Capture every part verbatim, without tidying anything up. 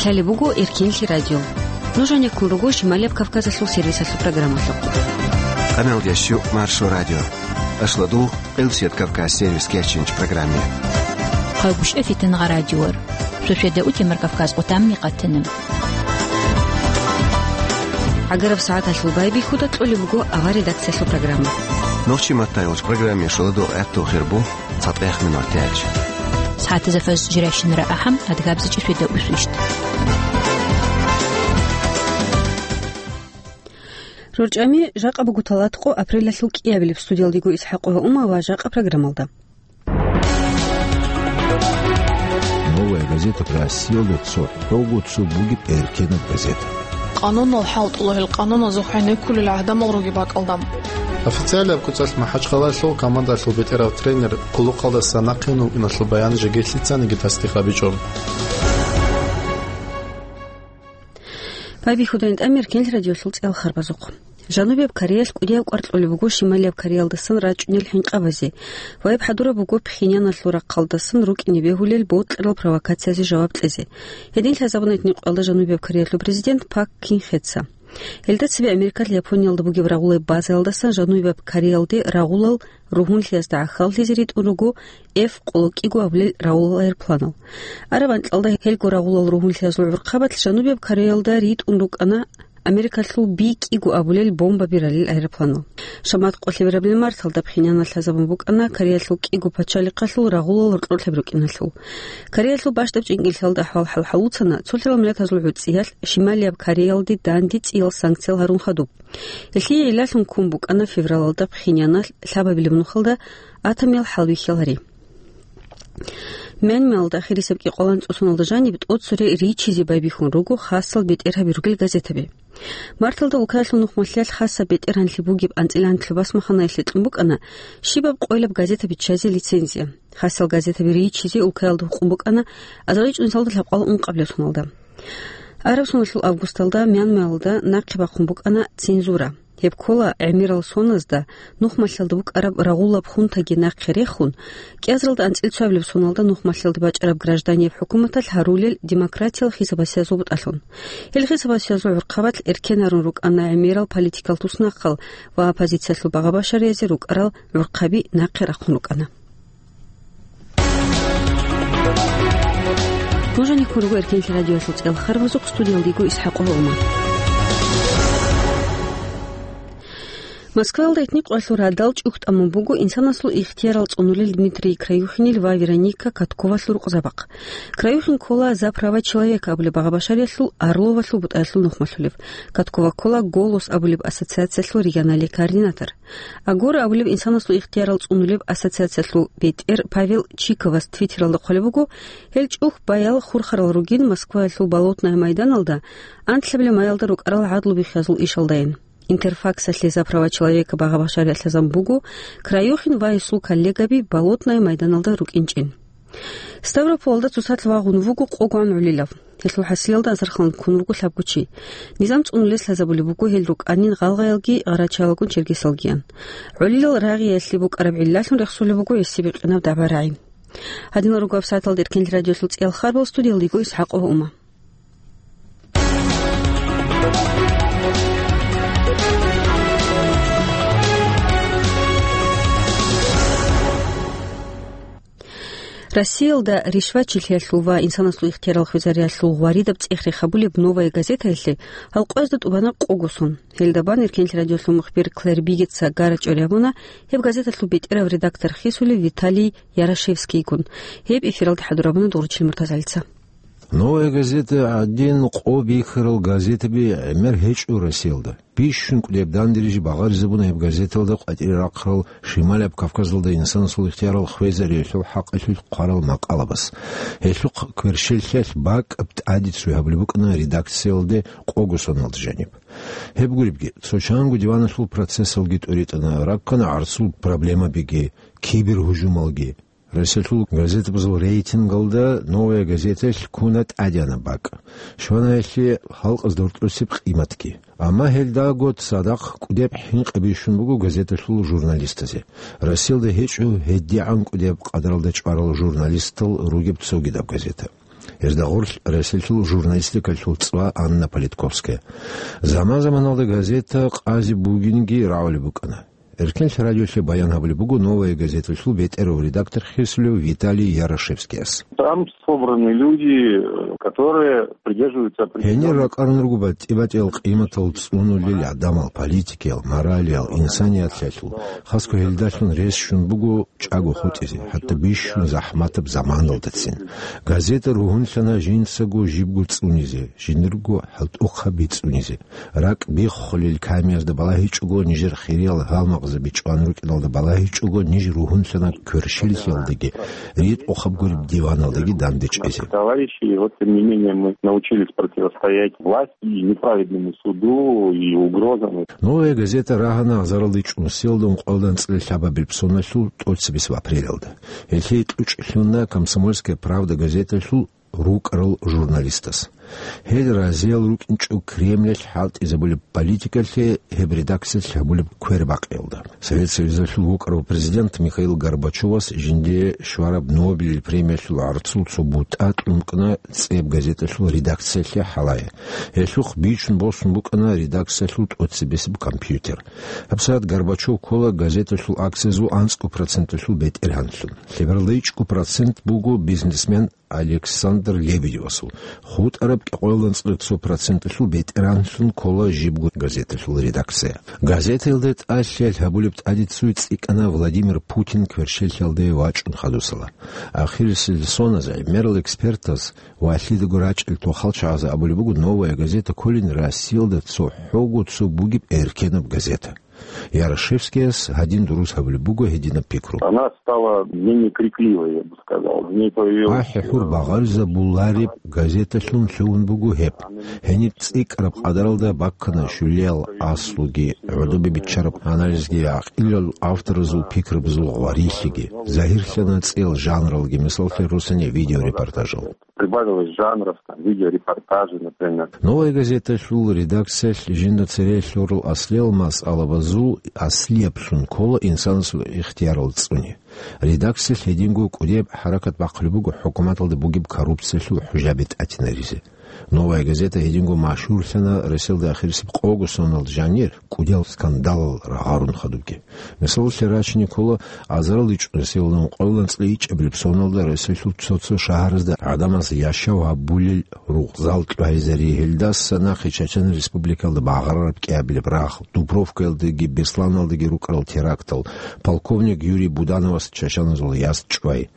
Лъалеб буго Эркенлъи радио. Нуж гьанеккун руго Шималияб Кавказалъул сервисалъул программалъухъ. Къамел ящу Маршо радио. Ашладу Къилсият Кавказ сервис кечинч программе. Хъагушев Фитнагъа радиор. Суседа утемар Кавказ къутамни къатана. ГӀагараб сагӀаталъул байбихьуда кьолеб буго авар редакциялъул программа. Нохчи маттайолч программе шоладу гӀатту хирбу цатӀех минут тяч. СагӀатазда фаз жиращинара ахӀам адгабзичи суседа усвищт. РорчӀами жакъа буго талатӀкъо апрелалъул кӀиабилеб студиялдего ИсхӀакъова Ума ва жакъа программалда. Новая газета Россиялда цохӀого цо бугеб эркенаб газета. Къанунал хӀалтӀула гьел къануназухъ гӀенеккулел гӀадамал ругеб бакӀалда. Официалияб куцалъ МахӀачхъалаялъул командалъул бетӀерав тренер къуллукъалдаса нахъе вукӀиналъул баян жеги лъицаниги тасдикъ гьабичӀо. Байбихьудайин тӀамер кенлъ радиолъул цӀел харбазухъ. Жанубияб Кореялъ кӀудияв кӀвар кьолеб буго Шималияб Кореялдасан рачӀунел хӀинкъабазе ва гьеб хӀадураб буго Пхеньяналъул рахъалдасан рукӀине бегьулел бокьарал провокациязе жаваб кьезе. Гьедин лъазабуна гьитӀинкъоялда Жанубияб Кореялъул президент Пак Кин Хеца. Гьелда цебе Америкалъ Япониялда бугеб рагъулаб базаялдасан Жанубияб Кореялде рагъулал ругьунлъиязда гӀахьаллъизе ритӀун руго Эф къоло кӀиго абулел рагъулал аэропланал. Араб анкьалда гьелго рагъулал ругьунлъиязул гӀурхъабалъ Жанубияб Кореялда ритӀун рукӀана Америкалъул Би кӀиго абулел бомбаби ралел аэропланал. Шамат къолъи берабилеб марталда Пхеньяналъ лъазабун букӀана Кореялъул кӀиго пачалихъалъул рагъулал гьоркьорлъаб рукӀиналъул. Кореялъул бащдаб чӀинкӀиллъиялда ахӀвал хӀалхӀалуцана цолъарал миллатазул гӀуцӀиялъ Шималияб Кореялде данде цӀиял санкциял гьарун хадуб. Гьелъие гӀиллалъун ккун букӀана февралалда Пхеньяналъ лъабабилеб нухалда атомиял хӀалбихьал гьари. Мянмаялда ахирисеб кӀикъоялда анцӀцӀусуналда жаниб тӀоцере ричизе байбихьун руго хасал бетӀергьаби ругел газетаби. Марталда улкаялъул нухмалъиялъ хасаб бетӀергьанлъи бугеб анцӀила анлъго басмаханаялъе кьун букӀана щибаб къойилаб газета биччазе лицензия. Хасал газетаби ричизе улкаялда гьукъун букӀана азарилчӀунсалда лъабкъоялда ункъабилеб соналда. Араб соналъул августалда Мянмаялда нахъе бахъун букӀана цензура. Гьеб ккола гӀемерал соназда нухмалъиялда букӀараб рагъулаб хунтаги нахъе рехун, кӀиазаралда анцӀила цоабилеб соналда нухмалъиялда бачӀараб гражданияб хӀукуматалъ гьарулел демократиял хисаб-гьасиязул бутӀалъун. Гьел хисаб-гьасиязул гӀурхъабалъ эркен гьарун рукӀана гӀемерал политикал туснахъал ва оппозициялъул багъа-башариязде рукӀарал гӀурхъаби нахъе рахъун рукӀана. Нуж гьанеккун руго Эркенлъи радиоялъул цӀел харбазухъ, студиялда йиго ИсхӀакъова Ума. Москваялда гьитӀинкъоялъул радал чӀухӀ тӀамун буго инсанасул ихтиярал цӀунулел Дмитрий Краюхинил ва Вероника Катковалъул рукъзабахъ. Краюхин ккола «За права человека» абулеб багъа-башариялъул Орловалъул бутӀаялъул нухмалъулев. Каткова ккола «Голос» абулеб ассоциациялъул регионалияб координатор. «Агора» абулеб инсанасул ихтиярал цӀунулеб ассоциациялъул бетӀер Павел Чиковас Твиттералда хъвалеб буго, гьел чӀухӀ баял хурхарал ругин Москваялъул Болотное майданалда анлъабилеб маялда рукӀарал гӀадлу бихьиязул ишалдайин. Интерфаксалъе «За права человека» багъа-башариялъ лъазабун буго Краюхин ва гьесул коллегаби Болотное майданалда рукӀинчӀин. Ставрополалда цоцалъ вагъун вуго къогоан гӀолилав. Гьелъул хӀасилалда асархъан ккун вуго лъабго чи. Низам цӀунулес лъазабулеб буго гьел рукӀанин гъалгъаялги гъарачаялгун чергесалгиян. ГӀолилал рагъиялъе букӀараб гӀиллалъун рехсолеб буго гьесие бикъинаб дагӀба-рагӀи. Гьадинал руго гьаб сагӀаталда Эркенлъи радиоялъул цӀиял харбал, студиялда йиго ИсхӀакъова Ума. Россиялда ришвачилъиялъул ва инсанасул ихтиярал хвезариялъул гъваридаб цӀех рехабулеб «Новая газетаялъе» гьал къоязда тӀубана къого сон. Гьелда бан Эркенлъи радиоялъул мухбир Клэр Бигетса гара-чӀвари гьабуна гьеб газеталъул бетӀерав редактор хисулев Виталий Ярошевскийгун. Гьеб эфиралда хӀадур гьабуна Дугъручил МуртазагӀалица. «Новая газета» гӀадин къо бихьарал газетаби гӀемер гьечӀо Россиялда. Бищун кӀудияб данде рижи багъаризабуна гьеб газеталда къватӀире рахъарал Шималияб Кавказалда инсанасул ихтиярал хвезариялъул хӀакъалъулъ хъварал макъалабаз. Гьелъухъ кверщеллъиялъ бакӀаб тӀаде цӀуй гьабулеб букӀана редакциялде къого соналда жаниб. Гьеб гуребги, цо чанго диваналъул процессалги тӀуритӀана, раккана гӀарцул проблемабиги, кибергьужумалги. Россиялъул газетабазул рейтингалда «Новая газетаялъ» ккуна тӀадегӀанаб бакӀ. Щванаялъе халкъазда гьоркьосеб къиматги. Амма гьелдаго цадахъ кӀудияб хӀинкъи бищун буго газеталъул журналистазе. Россиялда гьечӀо гьедигӀан кӀудияб къадралда чӀварал журналистал ругеб цогидаб газета. Гьезда гъорлъ Россиялъул журналистикалъул цӀва Анна Политковская. Заман-заманалда газета къазе бугинги рагӀулеб букӀана. Эркенлъи радиолъе баян гьабулеб буго «Новая газеталъул» бетӀерав редактор хисулев Виталий Ярошевскияс. Там собраны люди, которые придерживаются определённых... Гьенир ракӀарун руго батӀи-батӀиял къиматал цӀунулел гӀадамал, политикиял, моралиял, инсанияталъул, хасго гьелдалъун рес щун буго чӀаго хутӀизе, хӀатта бищун захӀматаб заманалдацин. Газета ругьунлъана жинцаго жибго цӀунизе, жиндирго хӀалтӀухъаби цӀунизе. РакӀ биххулел камиязда балагьичӀого, нижер хириял гьалмагъзаби чӀван рукӀиналда балагьичӀого, ниж ругьунлъана кверщеллъиялдаги, ритӀухъаб гуреб диваналдаги дандечӀезе. Товарищи, и вот тем не менее мы научились противостоять власти и неправедному суду, и угрозам. «Новая газета» рагьана азаралде чӀун селда ункъоялда анцӀила лъабабилеб соналъул тӀоцебесеб апрелалда. Гьелъие кьучӀ лъуна «Комсомольская правда» газеталъул рукӀарал журналистас. Гьел разиял рукӀинчӀо Кремлалъ хӀалтӀизабулеб политикалъе гьеб редакциялъ гьабулеб квербакъиялда. Совет Союзалъул вукӀарав президент Михаил Горбачевас жиндие щвараб Нобелил премиялъул гӀарцул цо бутӀа кьун букӀана цӀеб газеталъул редакциялъе хӀалае. Гьелъухъ бичун босун букӀана редакциялъул тӀоцебесеб компьютер. ГьабсагӀат Горбачев ккола газеталъул акциязул анцӀго проценталъул бетӀергьанлъун. Лъебералда ичӀго процент буго бизнесмен Александр Лебедевасул. ХутӀараб кӀикъоялда анцӀила цо проценталъул бетӀергьанлъун ккола жибго газеталъул редакция. Газетаялда тӀалъиялъ гьабулеб тӀаде цуе цӀикӀкӀана Владимир Путин кверщеллъиялде вачӀун хадусала. Ахирисел соназе гӀемерал экспертаз ва лъидаго рачӀел тохалчагӀазе абулеб буго, «Новая газета» кколин Россиялда цохӀого цо бугеб эркенаб газета. Ярошевскияс гьадин дурус гьабулеб буго гьединаб пикру. Она стала менее крикливой, я бы сказал. В ней появилась... АхӀи-хӀур багъаризабулареб газеталъун лъугьун буго гьеб. Гьениб цӀикӀкӀараб къадаралда баккана щулиял аслуги, гӀодобе биччараб анализги, гӀакъилал авторазул пикрабазул гъварилъиги. Загьирлъана цӀел жанралги, мисаллъе, росани видеорепортажал. Прибавилось жанров, там, видеорепортажи, например. «Новая газеталъул» редакциялъ жинда цере лъурал аслиял масъалабазул аслияблъун ккола инсанасул ихтиярал цӀуни. Редакциялъ гьединго кӀудияб хӀаракат бахъулеб буго хӀукуматалда бугеб коррупциялъул хӀужаби тӀатинаризе. «Новая газета» гьединго машгьурлъана Россиялда ахирисеб къого соналда жанир кӀудиял скандалал рагъарун хадубги. Мисаллъе рачине ккола, азарал ичӀнусилан къолан цӀикӀкӀабилеб соналда Россиялъул цо-цо шагьаразда гӀадамаз яшав гьабулел ругъзал кьвайзари, гьелдаса нахъе Чачан Республикалда багъарараб кӀиабилеб рагъ, Дубровкаялдаги Бесланалдаги рукӀарал терактал, полковник Юрий Будановас чачаназул яс чӀвай.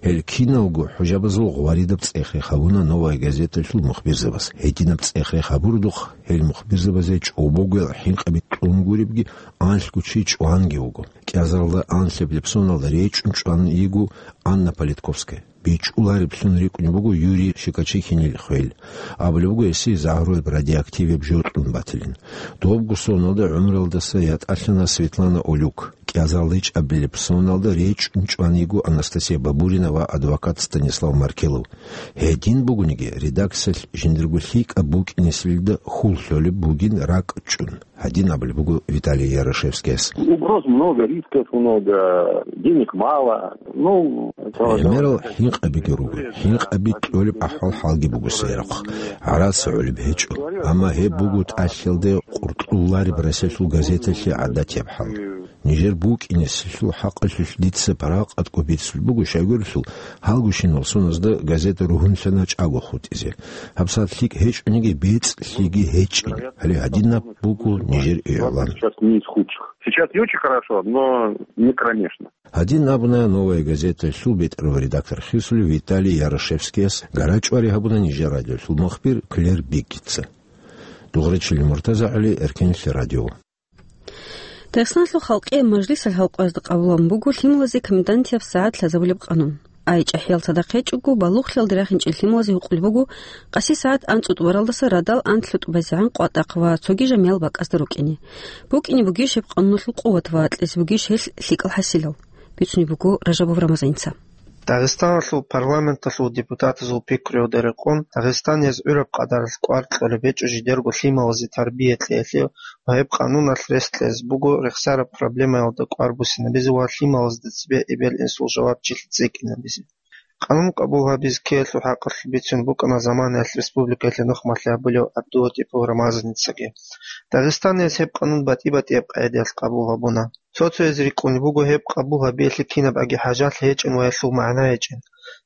Гьел киналго хӀужабазул гъваридаб цӀех-рех гьабуна «Новая газеталъул» мухбирзабаз. Гьединаб цӀех-рех гьабурдухъ гьел мухбирзабазе чӀобогоял хӀинкъаби кьун гуребги, анлъго чи чӀванги вуго. КӀиазаралда анлъабилеб соналда речӀчӀун чӀван йиго Анна Политковская. БичӀчӀулареблъун рикӀкӀунеб буго Юрий Щекочихинил хвел. Абулеб буго, гьесие загьруяб радиоактивияб жо кьун батилин. Добго соналда гӀумруялдаса ятӀалъана Светлана Олюк. КӀиазаралда ичӀабилеб соналда речӀчӀун чӀван йиго Анастасия Бабурина ва адвокат Станислав Маркелов. Гьедин бугониги, редакциялъ жиндирго лъикӀаб букӀинесилда хьул лъолеб бугин ракӀчӀун. Гьадин абулеб буго Виталий Ярошевскияс. Угроз много, рисков много, денег мало. Ну, это... ГӀемерал хӀинкъабиги руго. ХӀинкъаби кьолеб ахӀвал-хӀалги буго церехъ. ГӀарац гӀолеб гьечӀо. Амма гьеб буго тӀалъиялде къуркьулареб Россиялъул газеталъе гӀадатияб хӀал. Нижер букӀинесилъул хӀакъалъулъ дица паракъаткӀун бицулеб буго, щайгурелъул, гьалгощинал соназда газета ругьунлъана чӀаго хутӀизе. ГьабсагӀат лъикӀ гьечӀониги, бецӀлъиги гьечӀин. Гьале гьадинаб буго нижер игӀлан. Сейчас не из худших. Сейчас не очень хорошо, но не кромешно. Гьадин абуна «Новая газеталъул» бетӀерав редактор хисулев Виталий Ярошевскияс, гарачӀвари гьабуна нижер радиолъул мухбир Клер Биггитца. Дугъричили Муртаза ГӀали, Эркенлъи радио. Дагъистаналъул халкъияб мажлисалъ гьалкъоязда къабулабун буго лъималазе комендантияб сагӀат лъазабулеб къанун. Ай чӀахӀиял цадахъ гьечӀого, балугълъиялде рахинчӀел лъималазе гьукъулеб буго къаси сагӀат анцӀу тӀубаралдаса радал анлъго тӀубазегӀан къватӀахъ ва цоги жамиял бакӀазда рукӀине. БукӀине бугищ гьеб къануналъул къуват ва кьезе бугищ гьелъ лъикӀал хӀасилал? Бицунеб буго Ражабов Рамазаница. Дагъистаналъул парламенталъул депутатазул пикруялда рекъон, Дагъистан гьез гӀураб къадаралъ кӀвар кьолеб гьечӀо жидерго лъималазе тарбия кьеялъе ва гьеб къануналъ рес кьезе буго рехсараб проблемаялда кӀвар буссинабизе ва лъималазда цебе эбел-инсул жавабчилъи цӀикӀкӀинабизе. Къанун къабул гьабизе ккеялъул хӀакъалъулъ бицун букӀана заманаялъ республикаялъе нухмалъи гьабулев ГӀабдулатипов Рамазаницаги. Дагъистаниялъ гьеб къанун батӀи-батӀияб къагӀидаялъ къабул гьабуна. Цо-цояз рикӀкӀунеб буго гьеб къабул гьабиялъе кинабгӀаги хӀажат гьечӀин ва гьелъул магӀна гьечӀин.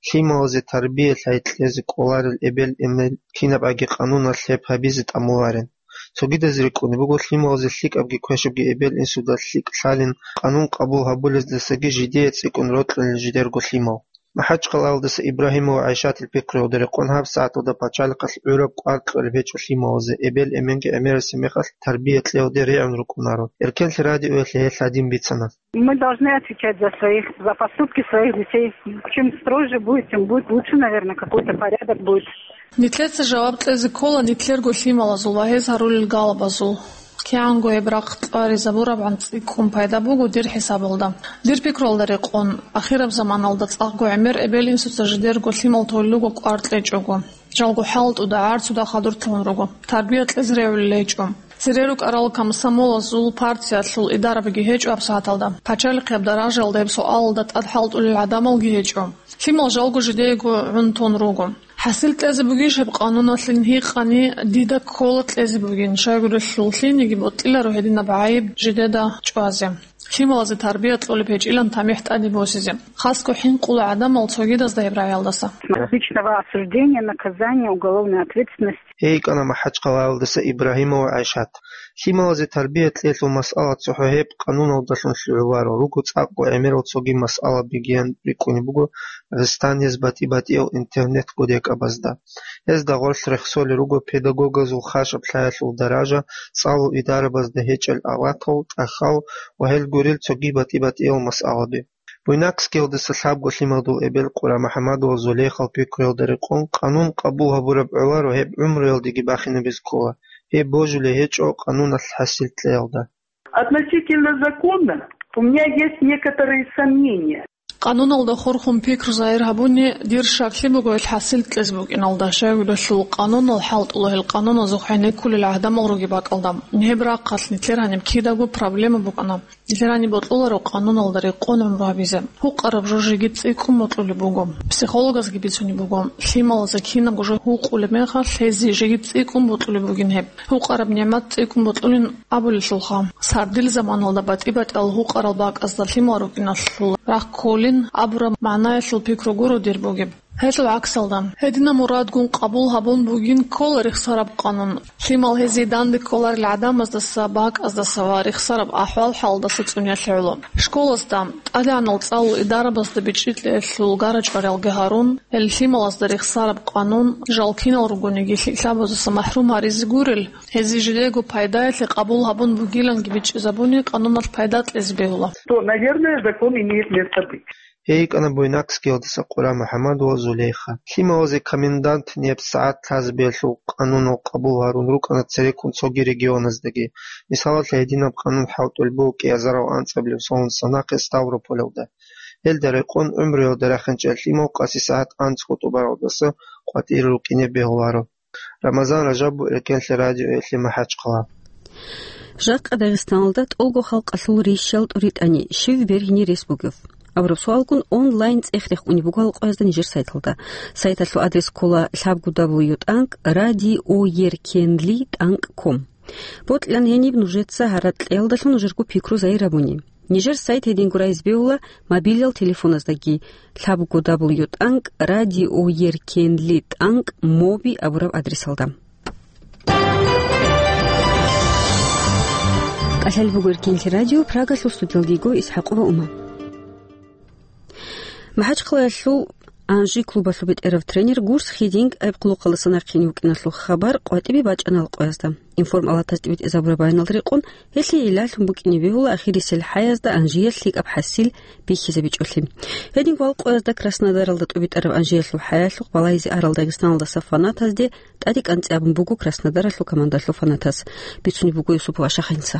Лъималазе тарбия лъай кьезе кӀоларел эбел-эмен кинабгӀаги къануналъ гьеб гьабизе тӀамуларин. Цогидаз рикӀкӀунеб буго лъималазе лъикӀабги квешабги эбел-инсуда лъикӀ лъалин, къанун къабул гьабулездасаги жидее цӀикӀкӀун рокьулел жидерго лъимал. МахӀачхъалаялдаса Ибрагьимова ГӀайшатил пикруялда рекъон гьаб сагӀаталда пачалихъалъ гӀураб кӀвар кьолеб гьечӀо лъималазе, эбел-эменги гӀемерасеб мехалъ тарбия кьеялде регӀун рукӀунаро. Эркенлъи радиоялъе гьел гьадин бицана. Мы должны отвечать за своих, за поступки своих детей. Чем строже будет, тем будет лучше, наверное, какой-то порядок будет. Нилъеца жаваб кьезе ккола нилъерго лъималазул ва гьез гьарулел галабазул. КигӀанго гьеб рахъ кьваризабурабгӀан цӀикӀкӀун пайда буго дир хӀисабалда. Дир пикруялда рекъон, ахираб заманалда цӀакъго гӀемер эбел-инсуца жидерго лъимал толел руго кӀвар кьечӀого. Жалго хӀалтӀуда, гӀарцуда хадур лъун руго. Тарбия кьезе регӀулел гьечӀо. Цере рукӀарал комсомолазул партиялъул идарабиги гьечӀо гьабсагӀаталда. Пачалихъияб даражаялда гьеб суалалда тӀад хӀалтӀулел гӀадамалги гьечӀо. Лъимал жалго жидеего гӀун тун руго. ХӀасил кьезе бугищ гьеб къануналъин гьикъани, дида ккола кьезе бугин, щайгурелъул лъиениги бокьиларо гьединаб гӀайиб жидеда чӀвазе. Лъималазе тарбия кьолеб гьечӀилан тамихӀ тӀаде босизе. Хасго хӀинкъула гӀадамал цогидазда гьеб рагӀиялдаса. Личного осуждения, наказания, уголовной ответственности. Гьей кӀана МахӀачхъалаялдаса Ибрагьимова ГӀайшат. Лъималазе тарбия кьелъул масъала цохӀо гьеб къануналдалъун лъугӀуларо, руго цӀакъго гӀемерал цоги масъалабигиян рикӀкӀунеб буго Дагъистаниялъ батӀи-батӀиял интернет-кодекабазда. Гьезда гъорлъ рехсолел руго педагогазул хашаб лъаялъул даража, цӀалул идарабазда гьечӀел аватал, тӀахьал ва гьел гурел цоги батӀи-батӀиял масъалаби. Буйнакскиялдаса лъабго лъималдул эбел Къура МухӀаммадова Зулейхал пикруялда рекъон, къанун къабул гьабураб гӀоларо гьеб гӀумруялдеги бахинабизе ккола, гьеб божулей гьечӀо къануналъ хӀасил кьеялда. Относительно закона у меня есть некоторые сомнения. Къануналда хурхун пикру загьир гьабуни, дир щаклъи буго ил хӀасил кьезе букӀиналда, щайгурелъул къанунал хӀалтӀула, гьел къануназухъ гӀенеккулел гӀадамал ругеб бакӀалда. Гьеб рахъалъ нилъер гьаниб кидаго проблема букӀана. Нилъер гьаниб бокьуларо къануналда рекъон гӀумру гьабизе. Гьукъараб жо жеги цӀикӀкӀун бокьулеб буго. Психологазги бицунеб буго, лъималазе кинабго жо гьукъулеб мехалъ, гьезие жеги цӀикӀкӀун бокьулеб бугин гьеб. Гьукъараб нигӀмат цӀикӀкӀун бокьулин абулелъулха, сардил заманалда батӀи-батӀиял гьукъарал бакӀазда лъимал рукӀиналъул рахъ кколин абураб магӀнаялъул пикру гуро дир бугеб. Гьелъул гӀаксалда, гьединаб мурадгун къабул гьабун бугин ккола рехсараб къанун. Лъимал гьезие данде кколарел гӀадамаздаса, бакӀаздаса ва рехсараб ахӀвал-хӀалдаса цӀуниялъе гӀоло. Школазда, тӀадегӀанал цӀалул идарабазда бичӀчӀи кьеялъул гара-чӀвариялги гьарун, гьел лъималазда рехсараб къанун, жал кинал ругониги, лъикӀлъабазаса махӀрум гьаризе гурел, гьезие жидего пайдаялъе къабул гьабун бугиланги бичӀчӀизабуни, къануналъ пайда кьезе бегьула. То, наверное, закон имеет место быть. Гьей кӀана Буйнакскиялдаса Къура МухӀаммадова Зулейха. Лъималазе комендант неб сагӀат лъазабиялъул къанунал къабул гьарун рукӀана цереккун цоги регионаздаги. Мисалалъе, гьединаб къанун хӀалтӀулеб буго кӀиазарал анцӀабилеб соналдаса нахъе Ставрополалда. Гьелда рекъон гӀумруялда рахинчӀел лъимал къаси сагӀат анцӀго тӀубаралдаса къватӀире рукӀине бегьуларо. Рамазан Ражабов, Эркенлъи радиоялъе, МахӀачхъала. Жакъа Дагъистаналда тӀолго халкъалъул рищал тӀуритӀани щив бергьине рес бугев? Абураб суалгун онлайн цӀех рехун буго гьал къоязда нижер сайталда. Сайталъул адрес ккола лъабго дабл ю тӀанкӀ радио еркенли тӀанкӀ ком. Бокьилан гьениб нужеца гьаракь кьеялдалъун нужерго пикру загьир гьабуни. Нижер сайт гьединго райз бегьула мобилал телефоназдаги: лъабго дабл ю тӀанкӀ радио еркенли тӀанкӀ моби абураб адресалда. КӀалъалеб буго Эркенлъи радио, Прагалъул студиялда йиго ИсхӀакъова Ума. МахӀачхъалаялъул «Анжи» клубалъул бетӀерав тренер Гурс Хидинг гӀеб къулухъалдаса нахъе вукӀиналъул хабар къватӀибе бачӀана гьал къоязда. Информ-алатаз тӀибитӀизабураб байиналда рекъон, гьелъие гӀиллалъун букӀине бегьула ахирисел хӀаязда Анжиялъ лъикӀаб хӀасил бихьизабичӀолъи. Гьединго гьал къоязда Краснодаралда тӀубитӀараб Анжиялъул хӀаялъухъ балагьизе арал Дагъистаналдаса фанатазде тӀаде кӀанцӀи абун буго Краснодаралъул командалъул фанатас. Бицунеб буго Юсупов Ашахъинца.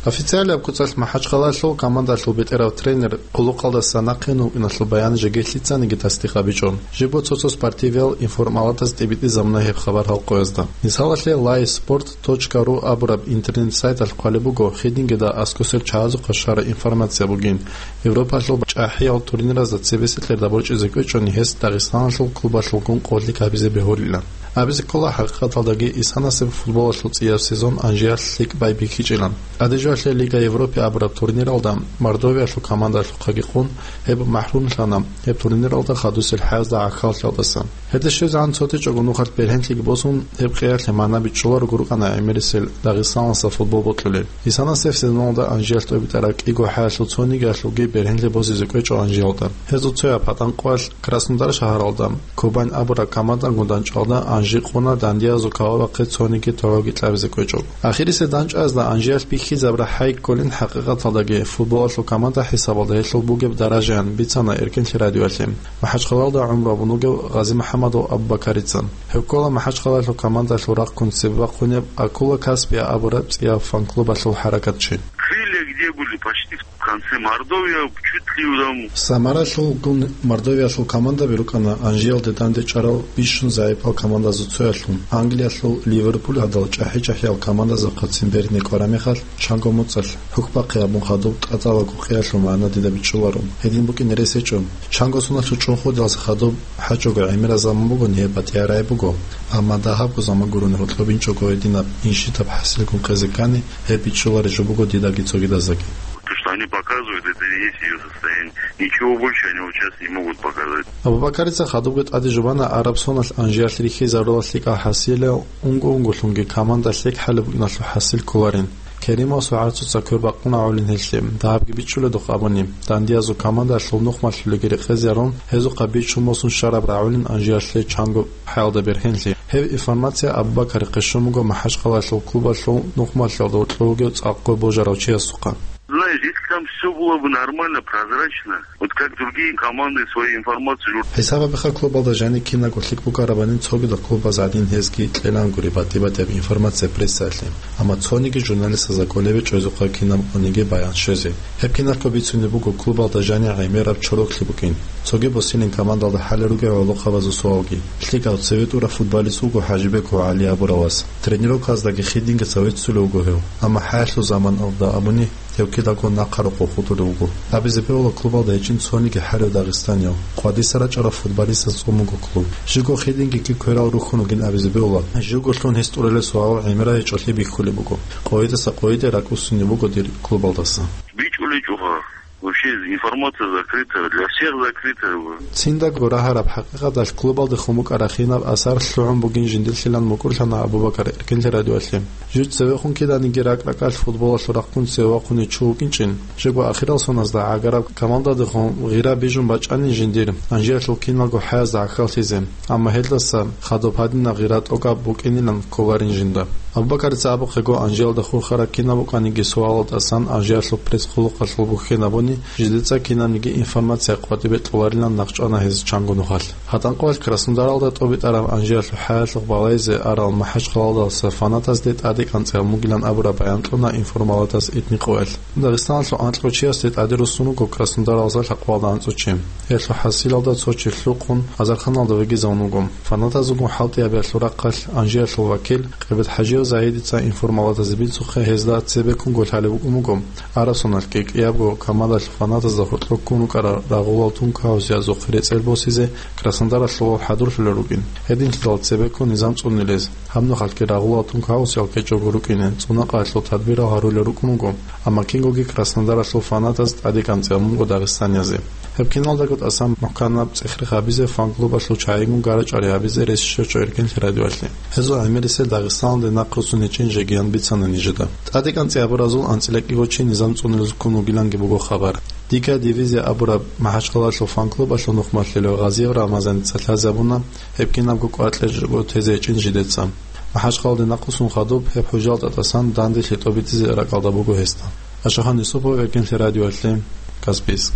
Официалияб куцалъ МахӀачхъалаялъул командалъул бетӀерав тренер хъулухъалдаса нахъе вукӀиналъул баян жеги лъицаниги тасдикъ гьабичӀо. Жибго цо-цо спортивиял информалатаз тӀибитӀизабуна гьеб хабар гьал къоязда. Мисалалъе, лайв спорт точка ру абураб интернет-сайталъ хъвалеб буго, хидингида аскӀосел чагӀазухъа щвараб информация бугин, Европалъул чӀахӀиял турниразда цебесекьерда борчӀизе кӀвечӀони гьес Дагъистаналъул клубалъулгун къорлъи гьабизе бегьулилан. Абизе ккола, хӀакъикъаталдаги исанасеб футболалъул цӀияб сезон Анжиялъ лъикӀ байбихьичӀилан. ТӀаде жоялъе Лига Европы абураб турниралда Мордовиялъул командалъухъаги къун гьеб махӀрумлъана гьеб турниралда хадусел хӀязда гӀахьаллъиялдаса. Гьелде щвезегӀан цо течӀого нухалъ бергьенлъиги босун, гьеб къиялъе магӀна бичӀчӀуларого рукӀана гӀемерисел Дагъистаналъа футбол бокьулел. Исанасеб сезоналда Анжиялъ тӀобитӀараб кӀиго хӀаялъул цонигиялъулги бергьенлъи босизе кӀвечӀо Анжиялда. Гьезул цояб гьатӀан къоялъ Краснодар шагьаралда Кубань абураб командагун данчӀвалда Анжи къуна дандиязул кавабахъе цониги тогьоги кьабизе кӀвечӀо. Ахирисеб данчӀвазда Анжиялъ бихьизаб рахӀай кколин, хӀакъикъаталдаги футболалъул команда хӀисабалда гьелъул бугеб даражаян бицана Эркенлъи радиоялъе МахӀачхъалаялда гӀумру гьабун вугев ГъазимухӀаммадов Абубакарица. Гьев ккола МахӀачхъалаялъул командалъул рахъун цебе бахъунеб «Акула Каспия» абураб цӀияб фан-клубалъул хӀаракатчи. Крылья где были? Почти в конце Мордовия, чуть ли там. Самаралъулгун Мордовиялъул командаби рукӀана Анжиялде дандечӀарал бищун загӀипал командазул цоялъун. Англиялъул Ливерпуль гьадал чӀахӀи-чӀахӀиял командазухъа цин бергьине кӀвараб мехалъ, чанго моцӀалъ хӀухьбахъи гьабун хадуб тӀатӀалаго къиялъул магӀна дида бичӀчӀуларо. Гьедин букӀине рес гьечӀо. Чанго соналъул чӀунхудалъ хадуб гьачӀого гӀемераб заман бугони гьеб батӀияб рагӀи буго. Амма дагьабго заман гурони гьоркьоб инчӀого гьединаб инщитаб хӀасилгун къезе ккани, гьеб бичӀчӀулареб жо буго дидаги цогидаздаги. То, что они показывают, это и есть её состояние. Ничего больше они вот сейчас не могут показать. Абубакарица хадубги тӀаде жубана араб соналъ Анжиялъ рихьизарулал лъикӀал хӀасилал, унго-унголъунги команда лъикӀ хӀалеб букӀиналъул хӀасил кколарин. Керимовасул гӀарцуца квер бакъунагӀулин гьелъе, дагьабги бичӀчӀуледухъ абуни, дандиязул командалъул нухмалъулеги рекъезарун, гьезухъа бичун босун щвараб рагӀулин Анжиялъе чанго хӀаялда бергьенлъи. Гьеб информация Абубакарихъе щун буго МахӀачхъалаялъул клубалъул нухмалъиялда гьоркьов вугев цӀакъго божарав чиясухъа. Знаешь, если там всё было бы нормально, прозрачно, вот как другие команды свои информацию жур- ХӀисаб гьабиха, клубалда жаниб кинабго лъикӀ букӀарабанин цогидал клубаз гӀадин гьезги кьелангури батӀи-батӀияб информация прессаялъе. Амма цониги журналистазда кӀолебе чӀезухъа кинаб къониги баян щвезе. Гьеб киналъго бицунеб буго клубалда жаниб гӀемераб чороклъи букӀин. Цоги босилин командалда хӀалел ругел гӀолохъабазул суалги. ЛъикӀав цеве тӀурав футболист вуго ХӀажибеков ГӀали абурав вас. Тренировказдаги хидинги цавеццулев вуго гьев. Амма хӀаялъул заманалда абуни, гьев кидаго нахъа рокъов хутӀулев вуго. Абизе бегьула, клубалда гьечӀин цониги хӀалев дагъистанияв. Къвадиса рачӀарав футболистаз цӀун буго клуб. Живго хидинги кверал рухьун вугин абизе бегьула. Живго лъун гьес тӀуралел суалал гӀемерал гьечӀолъи бихьулеб буго. Къойидаса къойиде ракӀусунеб буго дир клубалдаса. БичӀулечӀоха. Вообще информация закрытая, для всех закрытая. Циндаго рагьараб хӀакъикъаталъ клубалдехун букӀараб кинаб асар лъугӀун бугин жиндилъилан мукӀурлъана Абубакар Эркенлъи радиоялъе. Жив цевехун киданиги ракӀ-ракӀалъ футболалъул рахъун цеве вахъунев чи вукӀинчӀин, живго ахирал соназда гӀагараб командадехун гъира бижун бачӀанин жиндир, Анжиялъул киналго хӀаязда гӀахьаллъизе. Амма гьелдаса хадуб гьадинаб гъира тӀокӀаб букӀинилан кколарин жинда. Абубакарица абухъего, Анжиялда хурхараб кинаб букӀаниги суалалдасан Анжиялъул пресс-хъулухъалъул бухьен абуни, жидеца кинабниги информация къватӀибе кьоларилан нахъчӀвана гьез чанго нухалъ. ГьатӀанкъоялъ Краснодаралда тӀобитӀараб Анжиялъул хӀаялъухъ балайзе арал МахӀачхъалаялдаса фанатазде тӀаде кӀанцӀи гьабун бугилан абураб баян кьуна информалатаз итни къоялъ. Дагъистаналъул анкьго чиясде тӀаде руссун руго Краснодаралдаса лъабкъоялда анцӀго чи. Гьелъул хӀасилалда цо чи лъухъун, азарханалда вегизавун вуго. Фанатазулгун хӀалтӀи гьабиялъул рахъалъ Анжиялъул вакил Къибет ХӀажиев Загьидица информалатазе бицухъе гьезда цебеккунго лъалеб букӀун буго, араб соналъги кӀиябго командалъул фанатазда гьоркьоб ккун рукӀарал рагъулал тункаусиязухъе рецӀел босизе Краснодаралъувал хӀадурлъулел рукӀин. Гьединлъидал цебеккун низам цӀунилез, гьаб нухалъги рагъулал тункаусиял ккечӀого рукӀине, цӀунакъаялъул тадбирал гьарулел рукӀун вуго, амма кингоги Краснодаралъул фанатаз тӀаде кӀанцӀи гьабун буго дагъистаниязе. Гьеб киналдаго тӀасан мухӀканаб цӀех-рех гьабизе, фан-клубалъул чагӀигун гара-чӀвари гьабизе рес щвечӀо Эркенлъи радиоялъе. Гьезул гӀемерисел Дагъистаналде нахъ руссун гьечӀин жегиян бицана нижеда. ТӀаде кӀанцӀиябуразул анцӀила кӀиго чи низам цӀунилезул ккун вугиланги буго хабар. «Дикая дивизия» абураб МахӀачхъалаялъул фан-клубалъул нухмалъилев Гъазиев Рамазаница лъазабуна, гьеб кинабго кӀвар кьечӀого тезе гьечӀин жидеца. МахӀачхъалаялде нахъ руссун хадуб гьеб хӀужалда тӀасан данделъи тӀобитӀизе ракӀалда буго гьесда. Ашахан Юсупов, Эркенлъи радиоялъе, Каспийск.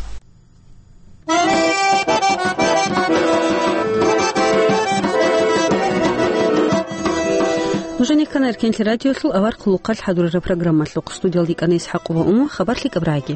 Нужеца ккана Эркенлъи радиолъул авар хъулухъалъ хӀадурараб программалъухъ. Студиялда йикӀана ИсхӀакъова Уму, хабар лъикӀаб рагӀаги.